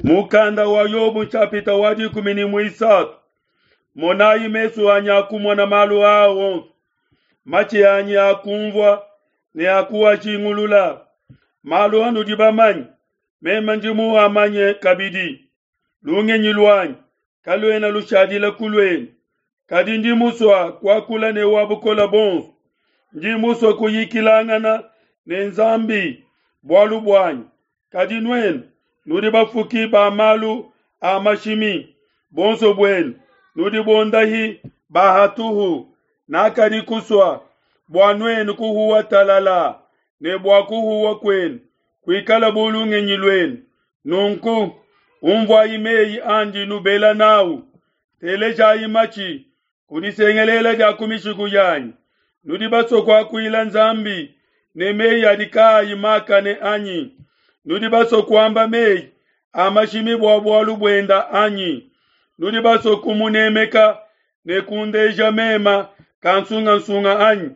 Mukanda wa Yobo nshapita wa 13. Monayi mesu anyi akumona malu aa onso, matshi anyi akumvua ne akuajingulula. Malu anudi bamanye, meme ndi muamanye kabidi. Lungenyi luanyi kaluena lushadila ku luenu, kadi ndi musua kuakula ne wa bukole buonso. Ndi musue kuyikilangana ne Nzambi bualu buanyi. Kadi nuenu nudi bafuki ba malu a mashimi, bonso buenu nudi bondahi ba hatuhu. Nakadi kusua bua nuenu kuhuwa talala, ne bua kuhuwa kuenu kuikala bu lungenyi luenu. Nunku umvuayi meyi andi nubela nawu, telejayi matshi ku disengelela dia ku mishiku yanyi. Nudi basue kuakuila Nzambi ne meyi adi kaayi makane anyi? Nudi basue kuamba meyi a mashimi bua bualu buenda anyi? Nudi basue kumunemeka ne kundeja mema kansungasunga anyi?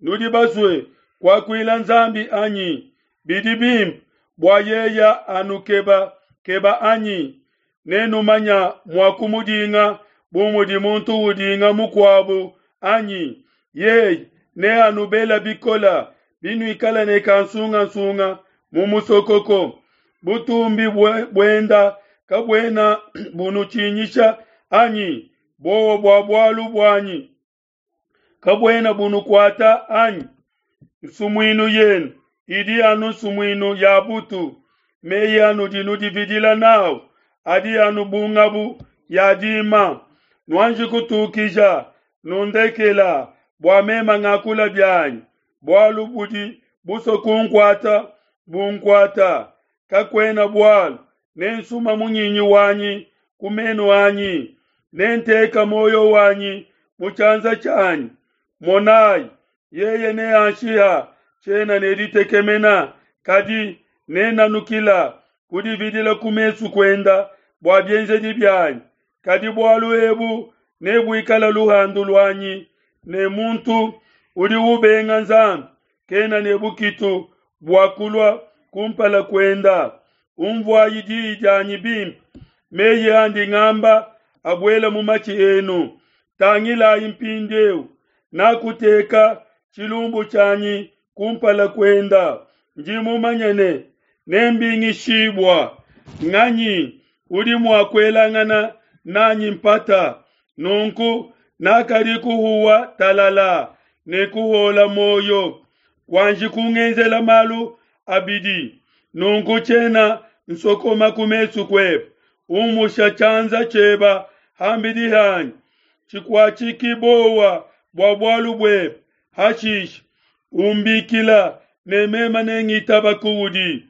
Nudi basue kuakuila Nzambi anyi? Bidi bimpe bua yeya anukeba keba anyi? Nenumanya mua kumudinga bu mudi muntu udinga mukuabu anyi? Yeye neanubela bikola binuikala ne kansungasunga mu musokoko. Butumbi buenda kabuena bunutshinyisha anyi? Bowa bua bualu buanyi kabuena bunukuata anyi? Nsumuinu yenu idi anu nsumuinu ya butu. Meyi anudi nudividila nawu adi anu bu ngabu ya dima. Nuanji kutukija, nundekela bua mema ngakula bianyi. Bualu budi busue kunkuata bunkuata, kakuena bualu. Nensuma munyinyi wanyi ku menu anyi, nenteka muoyo wanyi mu tshianza tshianyi. Monayi, yeye neanshiha, tshiena ne ditekemena, kadi nenanukila kudividila ku mesu kuenda bua bienzedi bianyi. Kadi bualu ebu nebuikala luhandu luanyi, ne muntu udi ubenga Nzambi kena ne bukitu bua kulua kumpala kuenda. Umvuayi diyi dianyi bimpe, meyi andi ngamba abuela mu matshi enu. Tangilayi mpindieu, nakuteka tshilumbu tshianyi kumpala kuenda. Ndi mumanye ne nembingishibua. Nganyi udi mua kuelangana nanyi mpata? Nunku nakadi kuhuwa talala ne kuhola muoyo. Wanji kungenzela malu abidi, nunku tshiena nsokoma ku mesu kuebe. Umusha tshianza tshieba hambidi hanyi, tshikuatshiki bowa bua bualu buebe. Hashishe umbikila ne mema nengitaba kuudi.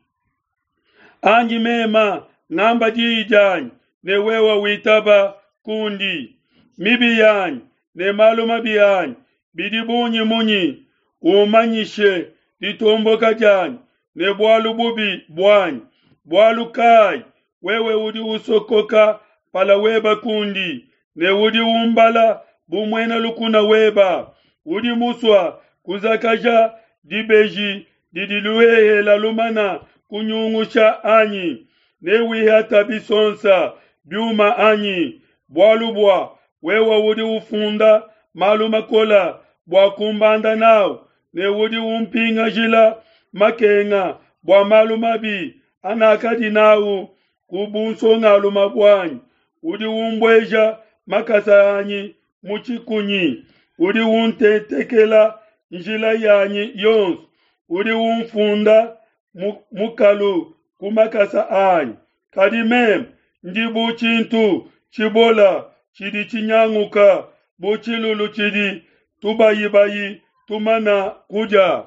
Anyi mema ngamba diyi dianyi ne wewe witaba kundi. Mibi yanyi ne malu mabi anyi bidi bungi munyi? Umanyishe ditomboka dianyi ne bualu bubi buanyi. Bualu kai wewe udi usokoka mpala weba kundi, ne udi umbala bu muena lukuna weba? Udi musua kuzakaja dibeji didi luhehela lumana kunyungusha anyi? Newihata bisonsa biuma anyi? Bualu bua wewe udi ufunda malu makola bua kumbanda nawu, ne udi umpingajila makenga bua malu mabi anakadi nawu ku bunsongalume buanyi. Udi umbueja makasa anyi mu tshikunyi, udi untetekela njila yanyi yonso, udi umfunda mukalu ku makasa anyi. Kadi meme ndi bu tshintu tshibola tshidi tshinyanguka, bu tshilulu tshidi tubayibayi tumana kudia.